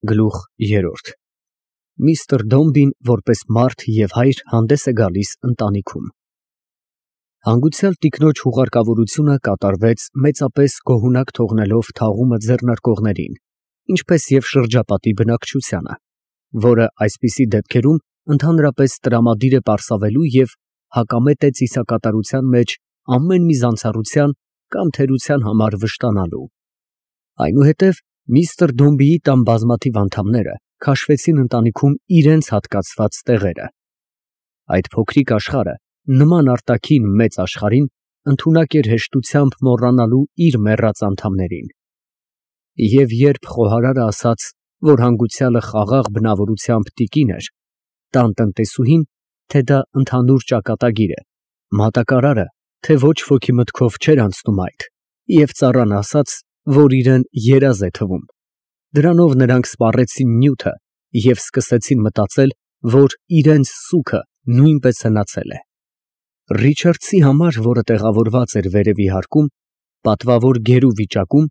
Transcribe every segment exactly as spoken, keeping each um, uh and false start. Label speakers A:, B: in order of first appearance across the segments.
A: Գլուխ երրորդ Միստր Դոմբին որպես մարդ և հայր հանդես է գալիս ընտանիքում։ Հանգուցյալ տիկնոջ հուղարկավորությունը կատարվեց մեծապես գոհունակ թողնելով թաղումը ձեռնարկողներին, ինչպես և շրջապատի բնակչությանը, որը այսպիսի դեպքերում ընդհանրապես տրամադիր է պարսավելու և հակամետ է ծիսակատարության մեջ ամեն մի զանցառության կամ թերության համար վշտանալու։ Այնուհետև միստր Դոմբիի տան բազմաթիվ անդամները քաշվեցին ընտանիքում իրենց հատկացված տեղերը։ Այդ փոքրիկ աշխարհը, նման արտաքին մեծ աշխարհին, ընդունակ էր հեշտությամբ մոռանալու իր մեռած անդամներին։ Եվ երբ խոհարարը ասաց, որ հանգուցյալը խաղաղ բնավորությամբ տիկին էր, տան տնտեսուհին, թե դա ընդհանուր ճակատագիր է, մատակարարը, թե ոչ ոքի մտքով չէր անցնում այդ, և ծառան ասաց, որ իրան երազ է թվում, դրանով նրանք սպառեցին նյութը և սկսեցին մտածել, որ իրենց սուգը նույնպես հնացել է։ Ռիչարդսի համար, որը տեղավորված էր վերևի հարկում, պատվավոր գերու վիճակում,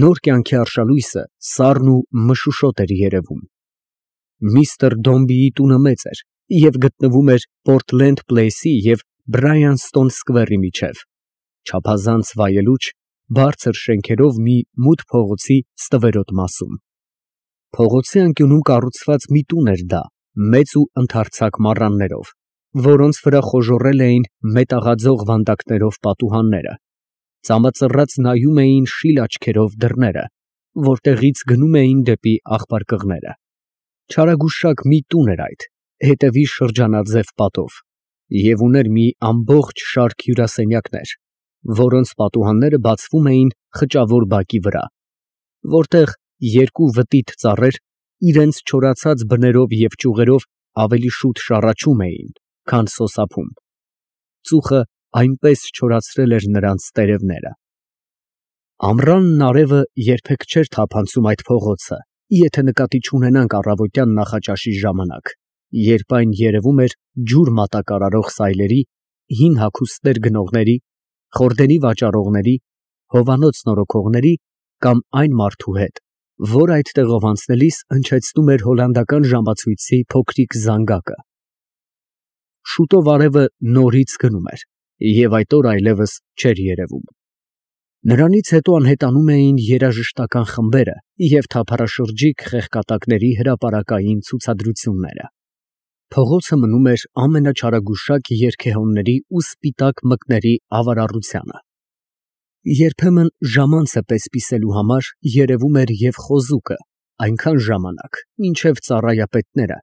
A: նոր կյանքի արշալույսը սառն ու մշուշոտ էր երևում։ Միստր Դոմբիի տունը մեծ էր և գտնվում էր Պորտլենդ Փլեյսի և Բրայանստոն Սքվերի միջև, չափազանց վայելուչ, բարձր շենքերով մի մութ փողոցի ստվերոտ մասում։ Փողոցի անկյունում կառուցված մի տուն էր դա, մեծ ու ընդարձակ մառաններով, որոնց վրա խոժոռել էին մետաղաձող վանդակներով պատուհանները, ծամածռած նայում էին շիլ աչքերով դռները, որտեղից գնում էին դեպի աղբարկղները։ Չարագուշակ մի տուն էր այդ, հետևի շրջանաձև պատով, և ուներ մի ամբողջ շարք հյուրասենյակներ, որոնց պատուհանները բացվում էին խճավոր բակի վրա, որտեղ երկու վտիտ ծառեր իրենց չորացած բներով և ճյուղերով ավելի շուտ շառաչում էին, քան սոսափում։ Ծուխը այնպես չորացրել էր նրանց տերևները։ Ամռանն արևը երբեք չէր թափանցում այդ փողոցը, եթե նկատի չունենանք առավոտյան նախաճաշի ժամանակ, երբ այն երևում էր ջուր մատակարարող սայլերի, հին հագուստներ գնողների, խորդերի վաճառողների, հովանոց նորոգողների կամ այն մարդու հետ, որ այդտեղով անցնելիս հնչեցնում էր հոլանդական ժամացույցի փոքրիկ զանգակը։ Շուտով արևը նորից գնում էր, և այդ օրը այլևս չէր երևում։ Նրանից հետո անհետանում էին երաժշտական խմբերը և թափառաշրջիկ խեղկատակների հրապարակային ցուցադրությունները։ Փողոցը մնում էր ամենաչարագուշակ երգեհոնների ու սպիտակ մկների ավարառությանը։ Երբեմն ժամանցը պես֊պիսելու համար երևում էր և խոզուկը այնքան ժամանակ, մինչև ծառայապետները,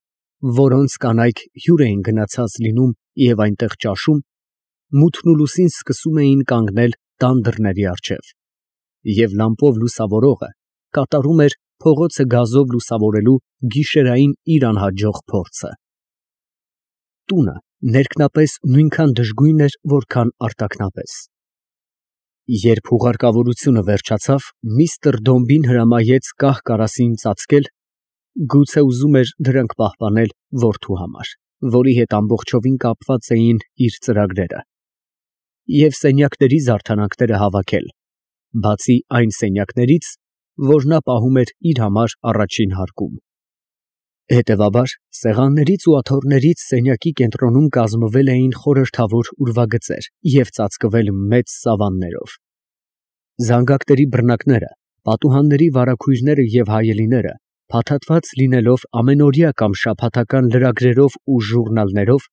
A: որոնց կանայք հյուր էին գնացած լինում և այնտեղ ճաշում, մութն ու լուսին սկսում էին կանգնել տան դռների առջև, և լամպով լուսավորողը կատարում էր փողոցը գազով լուսավորելու գիշերային իր անհաջող փորձը։ Տունը ներքնապես նույնքան դժգույն էր, որքան արտաքնապես։ Երբ հուղարկավորությունը վերջացավ, միստր Դոմբին հրամայեց կահ֊կարասին ծածկել, գուցե ուզում էր դրանք պահպանել որդու համար, որի հետ ամբողջովին կապված էին իր ծրագրերը, և սենյակների զարդարանքները հավաքել, բացի այն սենյակներից, որ նա պահում էր իր համար առաջին հարկում։ Հետևաբար, սեղաններից ու աթոռներից սենյակի կենտրոնում կազմվել էին խորհրդավոր ուրվագծեր և ծածկվել մեծ սավաններով։ Զանգակների բռնակները, պատուհանների վարագույրները և հայելիները, փաթաթված լինելով ամենօրյա կամ շաբաթական լրագրերով ու ժուռնալներով,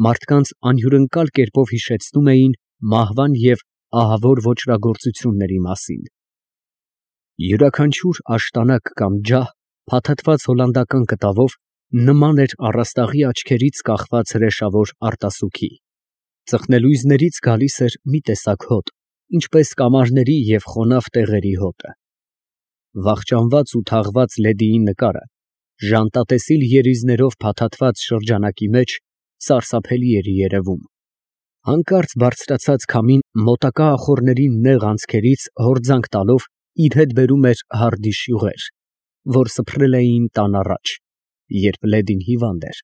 A: մարդկանց անհյուրընկալ կերպով հիշեցնում էին մահվան և ահավոր ոճրագործությունների մասին։ Յուրաքանչյուր աշտանակ կամ ջահ, փաթաթված հոլանդական կտավով, նման էր առաստաղի աչքերից կախված հրեշավոր արտասուքի։ Ծխնելույզներից գալիս էր մի տեսակ հոտ, ինչպես կամարների և խոնավ տեղերի հոտը։ Վախճանված ու թաղված լեդիի նկարը ժանտատեսիլ երիզներով փաթաթված շրջանակի մեջ սարսափելի էր երևում։ Հանկարծ բարձրացած քամին մոտակա ախոռների նեղ անցքերից հորձանք տալով իր հետ բերում էր հարդիշ յուղեր, որ սփռել էին տան առաջ, երբ լեդին հիվանդ էր,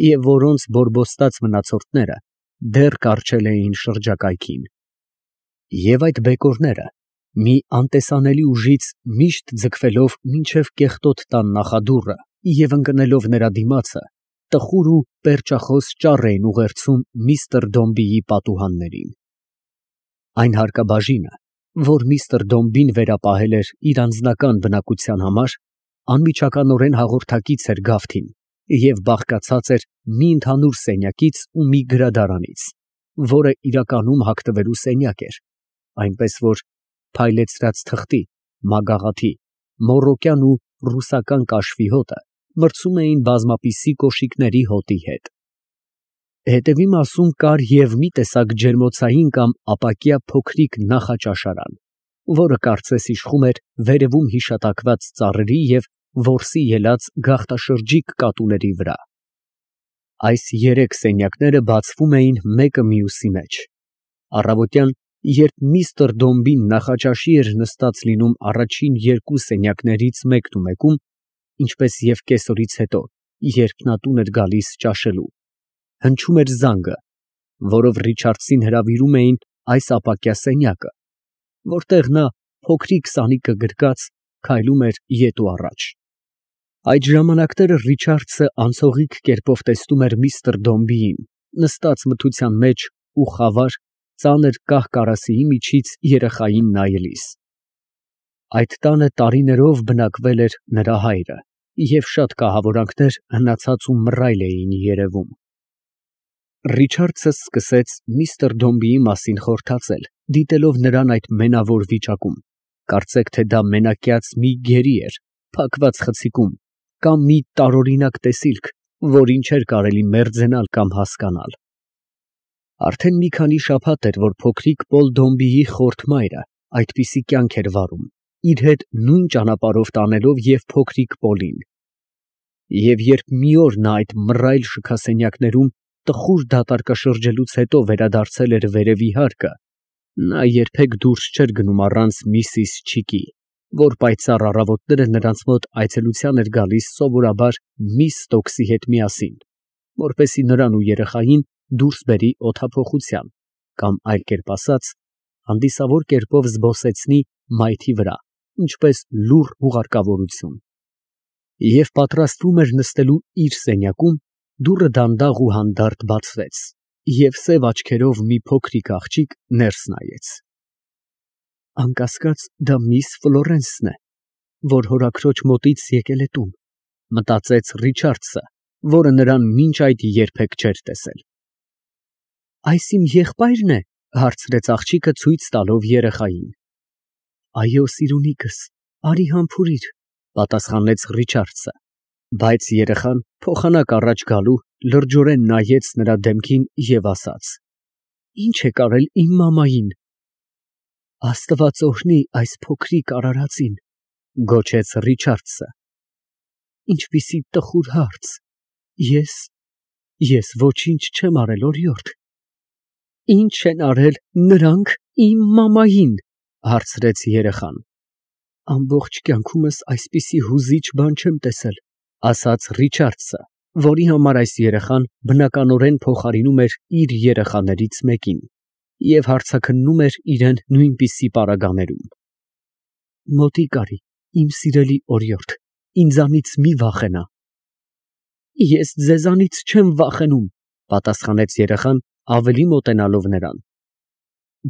A: և որոնց բորբոստած մնացորդները դեռ կառչել էին շրջակայքին։ Եվ այդ բեկորները Մի անտեսանելի ուժից միշտ ձգվելով մինչև կեղտոտ տան նախադուռը և ընկնելով նրա դիմացը, տխուր ու պերճախոս ճառ էին ուղերձում միստր Դոմբիի պատուհաններին։ Այն հարկաբաժինը, որ միստր Դոմբին վերապահել էր իր անձնական բնակության համար, անմիջականորեն հաղորդակից էր գավթին և բաղկացած էր մի ընդհանուր սենյակից ու մի գրադարանից, որը իրականում հագնվելու սենյակ էր, այնպես որ փայլեցրած թղթի, մագաղաթի, մոռոկյան ու ռուսական կաշվի հոտը մրցում էին բազմապիսի կոշիկների հոտի հետ։ Հետևի մասում կար և մի տեսակ ջերմոցային կամ ապակյա փոքրիկ նախաճաշարան, որը կարծես իշխում էր վերևում հիշատակված ծառերի և որսի ելած գաղտաշրջիկ կատուների վրա։ Այս երեք սենյակները բացվում էին մեկը մյուսի մեջ։ Առավոտյան, երբ միստր Դոմբին նախաճաշի էր նստած լինում առաջին երկու սենյակներից մեկն ու մեկում, ինչպես և կեսօրից հետո, երբ նա տուն էր գալիս ճաշելու, հնչում էր զանգը, որով Ռիչարդսին հրավիրում էին այս ապակյա սենյակը, որտեղ նա, փոքրիկ սանիկը գրկած, քայլում էր ետ ու առաջ։ Այդ ժամանակները Ռիչարդսը անցողիկ կերպով տեսնում էր միստր Դոմբիին, նստած մթության մեջ ու խավար, ծանր կահ֊կարասիի միջից երեխային նայելիս։ Այդ տանը տարիներով բնակվել էր նրա հայրը, և շատ կահավորանքներ հնացած ու մռայլ էին երևում։ Ռիչարդսը սկսեց միստր Դոմբիի մասին խորհրդածել, դիտելով նրան այդ մենավոր վիճակում, կարծեք թե դա մենակյաց մի գերի էր, փակված խցիկում, կամ մի տարօրինակ տեսիլք, որին չէր կարելի մերձենալ կամ հասկանալ։ Արդեն մի քանի շաբաթ էր, որ փոքրիկ Պոլ Դոմբիի խորթ մայրը այդպիսի կյանք էր վարում, իր հետ նույն ճանապարհով տանելով և փոքրիկ Պոլին։ Եվ երբ մի օր նա այդ մռայլ շքասենյակներում տխուր դատարկաշրջելուց հետո վերադարձել էր վերևի հարկը, նա երբեք դուրս չէր գնում առանց միսիս Չիկի, որ պայծառ առավոտները նրանց մոտ այցելության էր գալիս սովորաբար միս Ստոքսի հետ միասին, որպեսզի նրան ու երեխային դուրս բերի օդափոխության, կամ այլ կերպ ասած, հանդիսավոր կերպով զբոսեցնի մայթի վրա, ինչպես լուռ հուղարկավորություն։ Եվ պատրաստվում էր նստելու իր սենյակում, դուռը դանդաղ ու հանդարտ բացվեց, և սև աչքերով մի փոքրիկ աղջիկ ներս նայեց։ Անկասկած, դա միս Ֆլորենսն է, որ հորաքրոջ մոտից եկել է տուն, մտածեց Ռիչարդսը, որը նրան մինչ այդ երբեք չէր տեսել։ Այս իմ եղբայրն է, հարցրեց աղջիկը ցույց տալով երեխային։ Այո, սիրունիկս, արի համբուրիր, պատասխանեց Ռիչարդսը, բայց երեխան, փոխանակ առաջ գալու, լրջորեն նայեց նրա դեմքին և ասաց. Ինչ եք արել իմ մամային։ Աստված օրհնի այս փոքրիկ արարածին, գոչեց Ռիչարդսը։ Ինչպիսի տխուր հարց։ Ես, ես ոչինչ չեմ արել, օրիորդ։ Ինչ են արել նրանք իմ մամային, հարցրեց երեխան։ Ամբողջ կյանքումս այսպիսի հուզիչ բան չեմ տեսել, ասաց Ռիչարդսը, որի համար այս երեխան բնականորեն փոխարինում էր իր երեխաներից մեկին և հարցաքննում էր իրեն նույնպիսի պարագաներում։ Մոտիկ արի, իմ սիրելի օրիորդ, ինձանից մի վախենա։ Ես ձեզանից չեմ վախենում, պատասխանեց երեխան, ավելի մոտենալով նրան։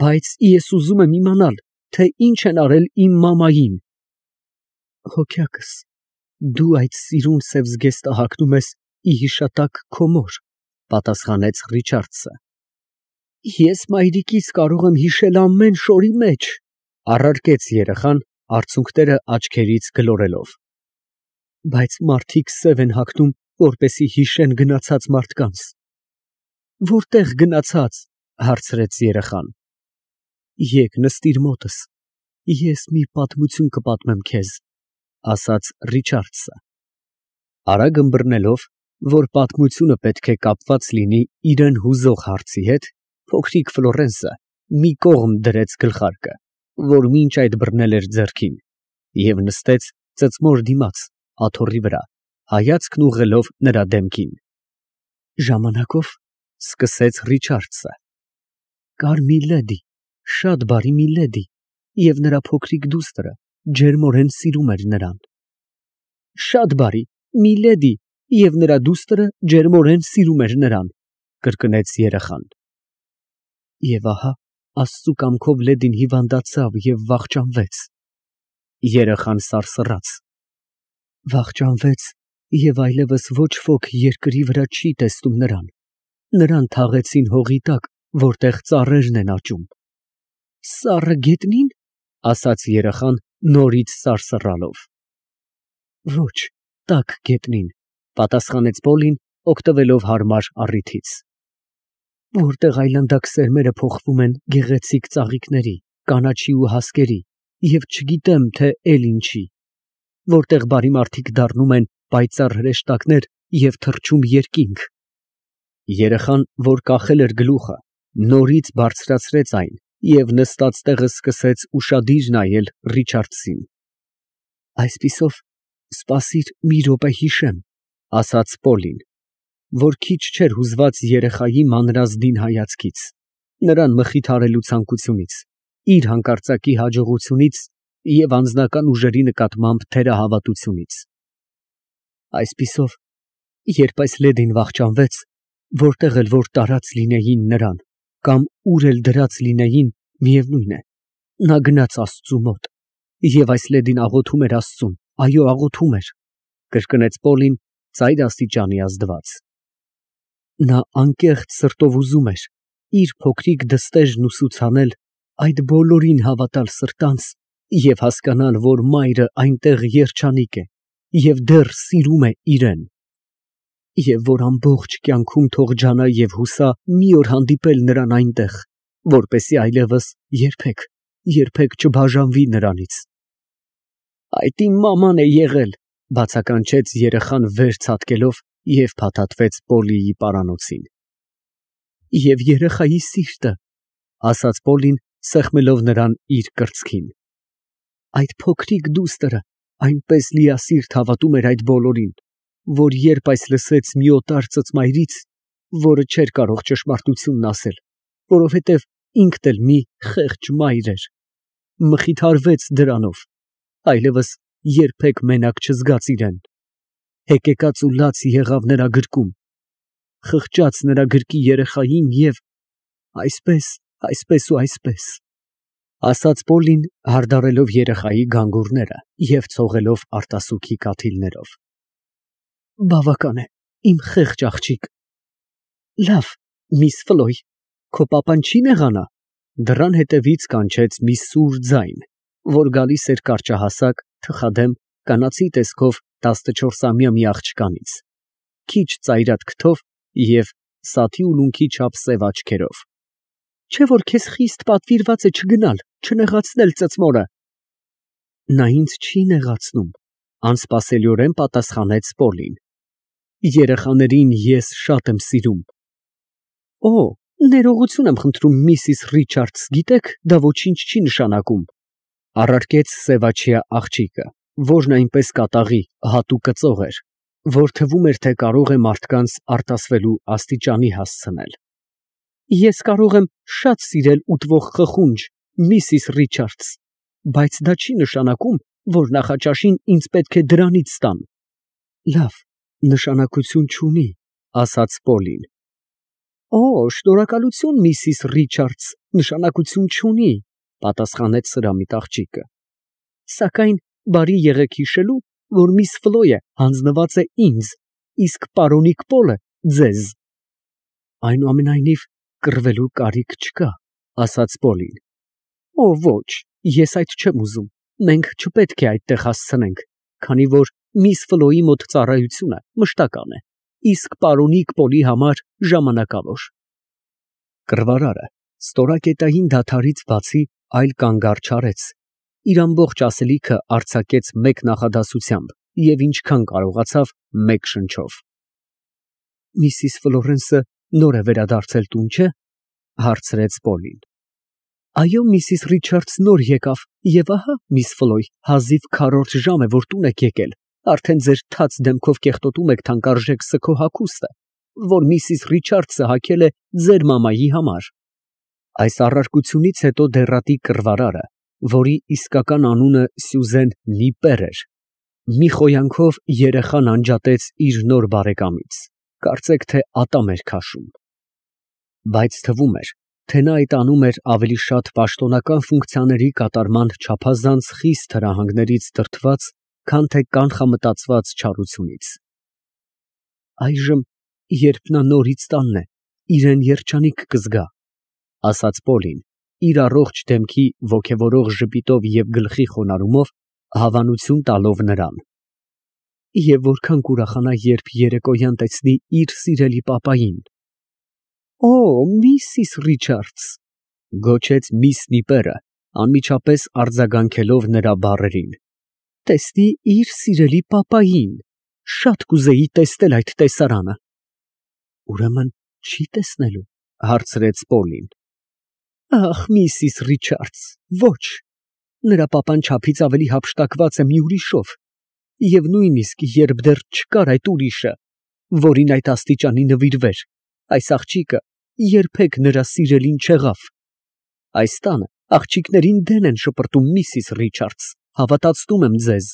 A: Բայց ես ուզում եմ իմանալ, թե ինչ են արել իմ մամային։ Հոգյակս, դու այդ սիրուն սև զգեստը հագնում ես ի հիշատակ քո մոր, պատասխանեց Ռիչարդսը։ Ես մայրիկից կարող եմ հիշել ամեն շորի մեջ, առարկեց երեխան, արցունքները աչքերից գլորելով։ Բայց մարդիկ սև են հագնում, որպեսզի հիշեն գնացած մարդկանց։ Որտե՞ղ գնացած, հարցրեց երեխան։ Եկ նստիր մոտս, ես մի պատմություն կպատմեմ քեզ, ասաց Ռիչարդսը։ Արագ ըմբռնելով, որ պատմությունը պետք է կապված լինի իրան հուզող հարցի հետ, փոքրիկ Ֆլորենսը մի կողմ դրեց գլխարկը, որ մինչ այդ բռնել էր ձեռքին, և նստեց ծծմոր դիմաց, աթոռի վրա, հայացքն ուղղելով նրա դեմքին։ Ժամանակով սկսեց Ռիչարդսը. Կար մի լեդի, շատ բարի մի լեդի, և նրա փոքրիկ դուստրը ջերմորեն սիրում էր նրան։ Շատ բարի, միլեդի, և նրա դուստրը ջերմորեն սիրում էր նրան, կրկնեց երեխան։ Եվ ահա Աստծու կամքով լեդին հիվանդացավ և վախճանվեց։ Երեխան սարսռաց։ Վախճանվեց և այլևս ոչ ոք երկրի վրա չի տեսնում նրան։ Նրան թաղեցին հողի տակ, որտեղ ծառերն են աճում։ Սառը գետնի՞ն, ասաց երեխան նորից սարսռալով։ Ոչ, տաք գետնին, պատասխանեց Պոլին, օգտվելով հարմար առիթից։ Որտեղ այլանդակ սերմերը փոխվում են գեղեցիկ ծաղիկների, կանաչի ու հասկերի, և չգիտեմ, թե էլ ինչի, որտեղ բարի մարդիկ դառնում են պայծառ հրեշտակներ և թռչում երկինք։ Երեխան, որ կախել էր գլուխը, նորից բարձրացրեց այն և նստած տեղը սկսեց ուշադիր նայել Ռիչարդսին։ Այսպիսով, սպասիր մի րոպե հիշեմ, ասաց Պոլին, որ քիչ չէր հուզված երեխայի մանրազդին հայացքից, նրան մխիթարելու ցանկությունից, իր հանկարծակի հաջողությունից և անձնական ուժերի նկատմամբ թերահավատությունից։ Այսպիսով, երբ այս լեդին վախճանվեց, որտեղ էլ որ տարած լինեին նրան, կամ ուր էլ դրած լինեին, միևնույն է, նա գնաց Աստծու մոտ, և այս լեդին աղոթում էր Աստծուն, այո, աղոթում էր, կրկնեց Պոլին ծայր աստիճանի ազդված։ Նա անկեղծ սրտով ուզում էր իր փոքրիկ դստերն ուսուցանել այդ բոլորին հավատալ սրտանց և հասկանալ, որ մայրը այնտեղ երջանիկ է և դեռ սիրում է իրեն, և որ ամբողջ կյանքում թող ջանա և հուսա մի օր հանդիպել նրան այնտեղ, որպեսզի այլևս երբեք, երբեք չբաժանվի նրանից։ Այդ իմ մաման է եղել, բացականչեց երեխան վեր ցատկելով և փաթաթվեց Պոլիի պարանոցին։ Եվ երեխայի սիրտը, ասաց Պոլին, սեղմելով նրան իր կրծքին։ Այդ փոքրիկ դուստրը այնպես լիասիրտ հավատում էր այդ բոլորին, որ երբ այս լսեց մի օտար ծծմայրից, որը չէր կարող ճշմարտությունն ասել, որովհետև ինքն էլ մի խեղճ մայր էր, մխիթարվեց դրանով, այլևս երբեք մենակ չզգաց իրեն, հեկեկած ու լաց եղավ նրա գրկում, խղճաց նրա գրկի երեխային և այսպես, այսպես ու այսպես, ասաց Պոլին, հարդարելով երեխայի գանգուրները և ցողելով արտասուքի կաթիլներով։ Բավական է, իմ խեղճ աղջիկ։ Լավ, միս Ֆլոյ, քո պապան չի նեղանա։ Դռան հետևից կանչեց մի սուր ձայն, որ գալիս էր կարճահասակ, թխադեմ, կանացի տեսքով տասնչորսամյա մի աղջկանից, քիչ ծայրատ քթով և սաթի ուլունքի չափ սև աչքերով։ Չէ՞ որ քեզ խիստ պատվիրված է չգնալ, չնեղացնել ծծմորը։ Նա ինձ չի նեղացնում, անսպասելիորեն պատասխանեց Պոլին։ Երեխաներին ես շատ եմ սիրում։ Օ, ներողություն եմ խնդրում, միսիս Ռիչարդս, գիտեք, դա ոչինչ չի նշանակում, առարկեց սևաչյա աղջիկը, որն այնպես կատաղի, հատուկ կծող էր, որ թվում էր, թե կարող է մարդկանց արտասվելու աստիճանի հասցնել։ Ես կարող եմ շատ սիրել ուտվող խխունջ, միսիս Ռիչարդս, բայց դա չի նշանակում, որ նախաճաշին ինձ պետք է դրանից տան։ Լավ, նշանակություն չունի, ասաց Պոլին։ Օ, շնորհակալություն, միսիս Ռիչարդս, նշանակություն չունի, պատասխանեց սրամիտ աղջիկը։ Սակայն բարի եղեք հիշելու, որ միս Ֆլոյը հանձնված է ինձ, իսկ պարոնիկ Պոլը ձեզ։ Այնուամենայնիվ, կռվելու կարիք չկա, ասաց Պոլին։ Օ, ոչ, ես այդ չեմ ուզում, մենք չպետք է այդտեղ հասցնենք, քանի որ միս Ֆլոյի մոտ ծառայությունը մշտական է, իսկ պարոնիկ Պոլի համար ժամանակավոր։ Կռվարարը ստորակետային դադարից բացի այլ կանգ չարեց, իր ամբողջ ասելիքը արձակեց մեկ նախադասությամբ և ինչքան կարողացավ մեկ շնչով։ Միսիս Ֆլորենսը նոր է վերադարձել տուն, չէ՞, հարցրեց Պոլին։ Այո, միսիս Ռիչարդս նոր եկավ, և ահա, միս Ֆլոյ, հազիվ քառորդ ժամ է, որ տուն եք եկել, արդեն ձեր թաց դեմքով կեղտոտում եք թանկարժեք սգո հագուստը, որ միսիս Ռիչարդսը հագել է ձեր մամայի համար։ Այս առարկությունից հետո դեռատի կռվարարը որի իսկական անունը Սյուզեն Նիպեր էր, մի խոյանքով երեխան անջատեց իր նոր բարեկամից, կարծեք թե ատամ էր քաշում։ Բայց թվում էր, թե նա այդ անում էր ավելի շատ պաշտոնական ֆունկցիաների կատարման չափազանց խիստ հրահանգներից դրդված, քան թե կանխամտածված չարությունից։ Այժմ, երբ նա նորից տանն է, իրեն երջանիկ կզգա, ասաց Պոլին, իր առողջ դեմքի ոգևորող ժպիտով և գլխի խոնարհումով հավանություն տալով նրան։ Եվ որքան կուրախանա, երբ երեկոյան տեսնի իր սիրելի պապային։ Օ, միսիս Ռիչարդս, գոչեց միս Նիպերը, անմիջապես արձագանքելով նրա բառերին, տեսնի իր սիրելի պապային, շատ կուզեի տեսնել այդ տեսարանը։ Ուրեմն չի տեսնելու, հարցրեց Պոլին։ Ախ, միսիս Ռիչարդս, ոչ, նրա պապան չափից ավելի հափշտակված է մի ուրիշով, և նույնիսկ երբ դեռ չկար այդ ուրիշը, որին այդ աստիճանի նվիրվեր, այս աղջիկը երբեք նրա սիրելին չեղավ։ Այս տանը աղջիկներին դեն են շպրտում, միսիս Ռիչարդս, հավատացնում եմ ձեզ։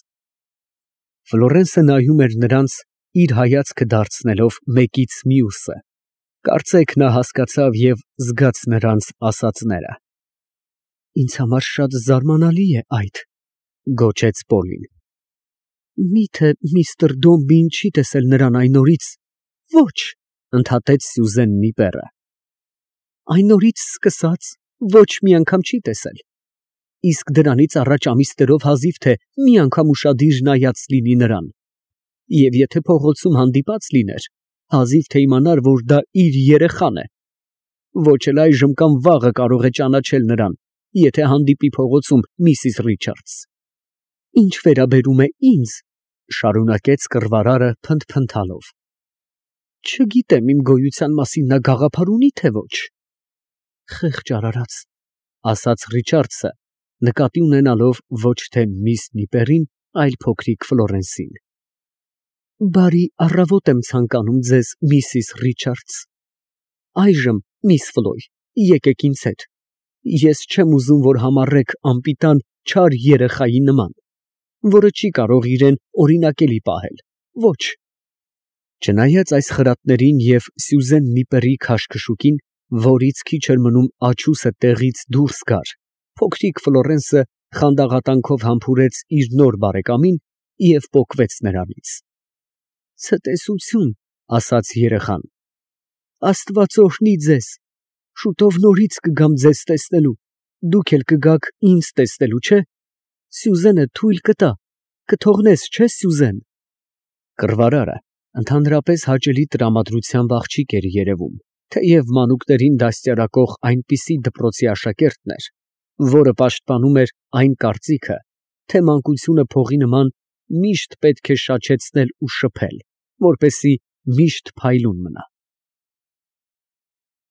A: Ֆլորենսը նայում էր նրանց, իր հայացքը դարձնելով մեկից մյուսը, կարծեք նա հասկացավ և զգաց նրանց ասածները։ Ինձ համար շատ զարմանալի է այդ, գոչեց Պոլին։ Միթե միստր Դոմբին չի տեսել նրան այն օրից։ Ոչ, ընդհատեց Սյուզեն Նիպերը։ Այն օրից սկսած ոչ մի անգամ չի տեսել։ Իսկ դրանից առաջ ամիսներով հազիվ թե մի անգամ ուշադիր նայած լինի նրան։ Եվ եթե փողոցում հանդիպած լիներ, հազիվ թե իմանար, որ դա իր երեխան է։ Ոչ էլ այժմ կամ վաղը կարող է ճանաչել նրան, եթե հանդիպի փողոցում, միսիս Ռիչարդս։ Ինչ վերաբերում է ինձ, շարունակեց կռվարարը փնթփնթալով, չգիտեմ իմ գոյության մասին նա գաղափար ունի, թե ոչ։ Խեղճ արարած, ասաց Ռիչարդսը, նկատի ունենալով ոչ թե միս Նիպերին, այլ փոքրիկ Ֆլորենսին։ Բարի առավոտ եմ ցանկանում ձեզ, միսիս Ռիչարդս։ Այժմ, միս Ֆլոյ, եկեք ինձ հետ։ Ես չեմ ուզում, որ համառեք անպիտան չար երեխայի նման, որը չի կարող իրեն օրինակելի պահել, ոչ։ Չնայած այս խրատներին և Սյուզեն Նիպերի քաշքշուկին, որից քիչ էր մնում աչուսը տեղից դուրս գար, փոքրիկ Ֆլորենսը խանդաղատանքով համբուրեց իր նոր բարեկամին և պոկվեց նրանից։ Ցտեսություն, ասաց երեխան, Աստված օրհնի ձեզ, շուտով նորից կգամ ձեզ տեսնելու, դուք էլ կգաք ինձ տեսնելու, չէ՞։ Սյուզենը թույլ կտա, կթողնես, չէ՞, Սյուզեն։ Կռվարարը ընդհանրապես հաճելի տրամադրությամբ աղջիկ էր երևում, թեև մանուկներին դաստիարակող այնպիսի դպրոցի աշակերտն էր, որը պաշտպանում էր այն կարծիքը, թե մանկությունը փողի նման միշտ պետք է շաչեցնել ու շփել, որպեսզի միշտ փայլուն մնա։